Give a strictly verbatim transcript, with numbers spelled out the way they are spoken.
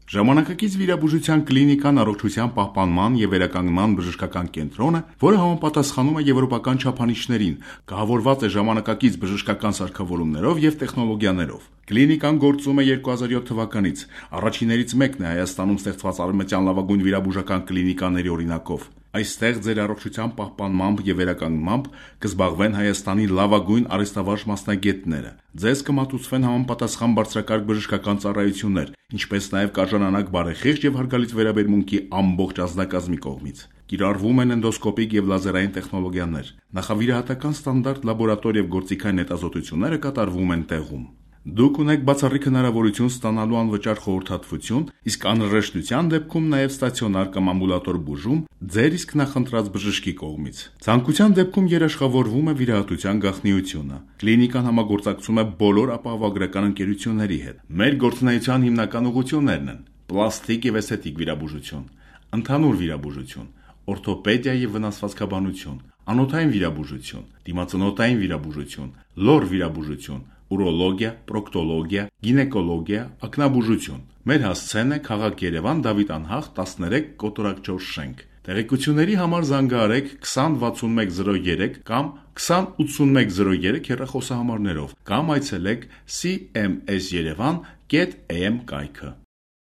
Ժամանակակից վիրաբուժության կլինիկան առողջության պահպանման և վերականգնման բժշկական կենտրոն է, որը համապատասխանում է եվրոպական չափանիշներին, կահավորված է ժամանակակից բժշկական սարքավորումներով և տեխնոլոգիաներով։ Կլինիկան գործում է երկու հազար յոթ թվականից, առաջիններից մեկն է Հայաստանում ստեղծված արևմտյան լավագույն վիրաբուժական կլինիկաների օրինակով։ Այստեղ ձեր առողջության պահպանմամբ և վերականգնմամբ կզբաղվեն Հայաստանի լավագույն արհեստավարժ մասնագետները։ Ձեզ կմատուցվեն համապատասխան բարձրակարգ բժշկական ծառայություններ, ինչպես նաև կարժանանակ բարեխիղճ և հարգալից վերաբերմունքի ամբողջ անձնակազմի կողմից։ Կիրառվում են էնդոսկոպիկ և լազերային տեխնոլոգիաներ։ Նախավիրահատական ստանդարտ լաբորատոր և գործիքային հետազոտությունները կատարվում են տեղում։ Դուք ունեք բացառիկ հնարավորություն ստանալու անվճար խորհրդատվություն, իսկ անհրաժեշտության դեպքում նաև ստացիոնար կամ ամբուլատոր բուժում ձեր իսկ նախընտրած բժշկի կողմից։ Ցանկության դեպքում երաշխավորվում է վիրահատության գաղտնիությունը։ Կլինիկան համագործակցում է բոլոր ապահովագրական ընկերությունների հետ։ Մեր գործունեության հիմնական ուղղություններն են պլաստիկ և էսթետիկ վիրաբուժություն, ընդհանուր վիրաբուժություն, օրթոպեդիա և վնասվածքաբանություն, անոթային վիրաբուժություն, դիմացնոտային վիրաբուժություն, լոր վիրաբուժություն, ուրոլոգիա, պրոկտոլոգիա, գինեկոլոգիա, ակնաբուժություն։ Մեր հասցեն է քաղաք Երևան, Դավիթ անհախտ, տասներեք, կոտորակ չորս շենք։ Տեղեկությունների համար զանգահարեք քսան վաթսուն մեկ զրո երեք կամ քսան ութսունմեկ զրո երեք հեռախոսահամարներով կամ այցելեք սի էմ էս երևան կետ էյ էմ կայքը։